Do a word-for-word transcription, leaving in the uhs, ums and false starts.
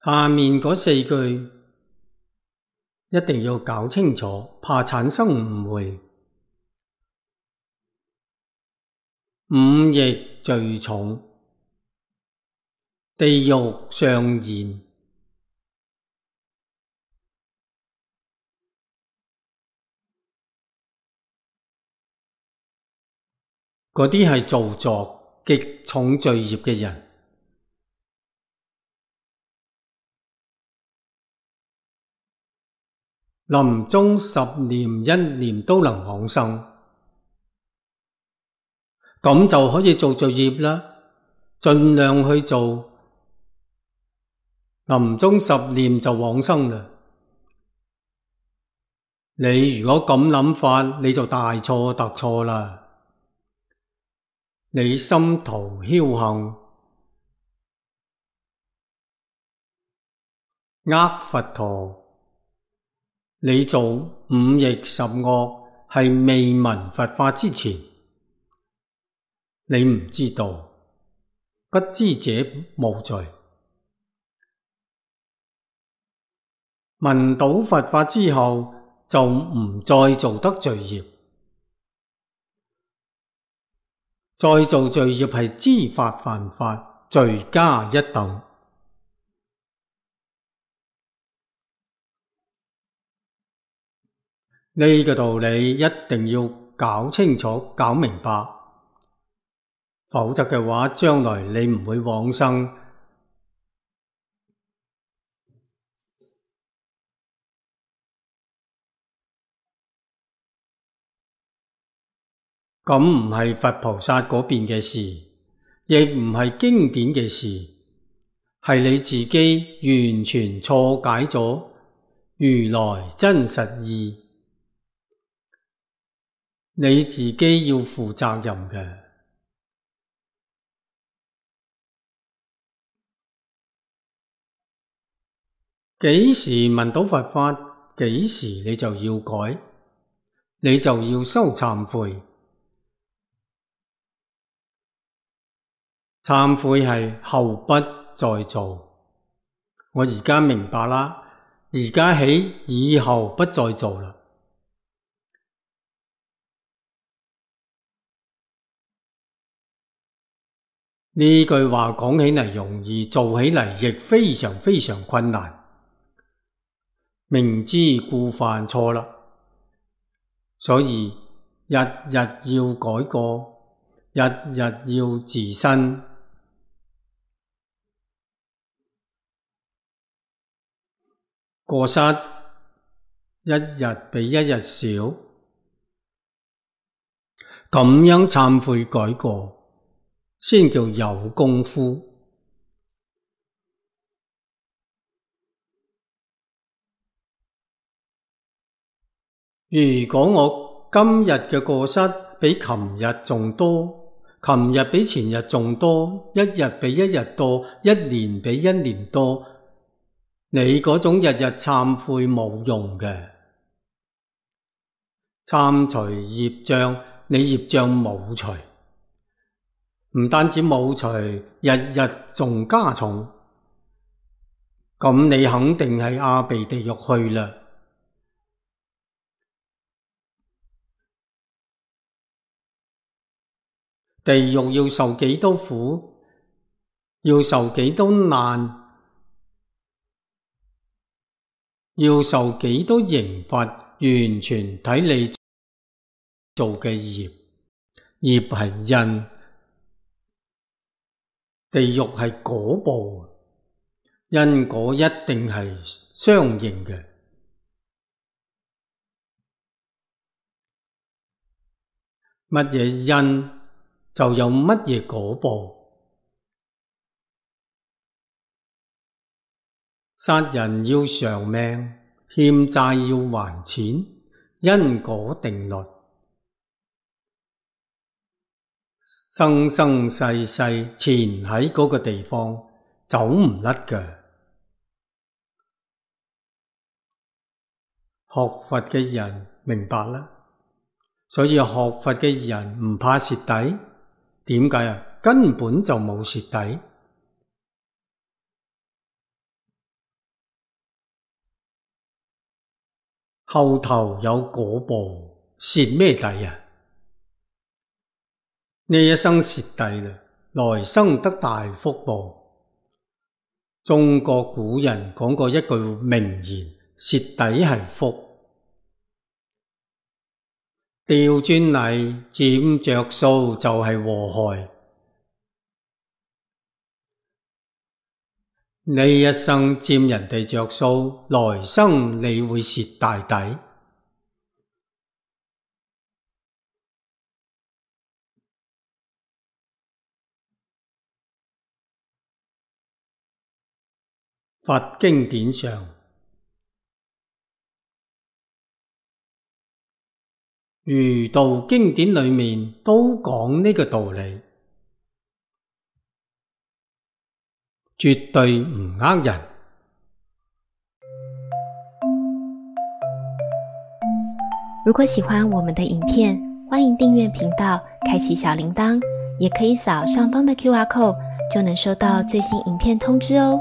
下面嗰四句一定要搞清楚，怕產生誤會。五逆最重，地獄上現。嗰啲係造作極重罪業嘅人，臨終十念一念都能往生，咁就可以做罪業啦，盡量去做，臨終十念就往生啦。你如果咁諗法，你就大錯特錯啦。你心圖僥倖，呃佛陀，你做五逆十惡係未聞佛法之前，你唔知道，不知者無罪。聞到佛法之後，就唔再做得罪業。再做罪業係知法犯法，罪加一等。呢個道理一定要搞清楚、搞明白，否則嘅話，將來你唔會往生。咁唔係佛菩薩嗰邊嘅事，亦唔係經典嘅事，係你自己完全錯解咗如來真實義，你自己要負責任嘅。幾時聞到佛法，幾時你就要改，你就要修懺悔。懺悔係後不再做，我而家明白啦，而家起以後不再做啦。呢句話講起嚟容易，做起嚟亦非常非常困難。明知故犯錯啦，所以日日要改過，日日要自新。過失一日比一日少，咁樣懺悔改過，先叫有功夫。如果我今日嘅過失比琴日仲多，琴日比前日仲多，一日比一日多，一年比一年多，你嗰種日日懺悔冇用嘅。懺除業障，你業障冇除，唔單止冇除，日日仲加重，咁你肯定係阿鼻地獄去啦。地獄要受幾多苦，要受幾多難，要受幾多刑罰，完全睇你做嘅業。業係因，地獄係果報，因果一定係相應嘅。乜嘢因就有乜嘢果報。殺人要償命，欠債要還錢，因果定律，生生世世纏喺嗰個地方，走唔甩嘅。學佛嘅人明白啦，所以學佛嘅人唔怕蝕底。點解啊？根本就冇蝕底。後頭有果報，蝕咩底啊？呢一生蝕底啦，來生得大福報。中國古人講過一句名言，蝕底係福。調轉嚟佔着數就係禍害。呢一生佔人哋着數，來生你會蝕大底。佛經典上，儒道經典裏面都講呢個道理，絕對唔呃人。如果喜歡我們的影片，歡迎訂閱頻道，開啟小鈴鐺，也可以掃上方的 Q R code，就能收到最新影片通知哦。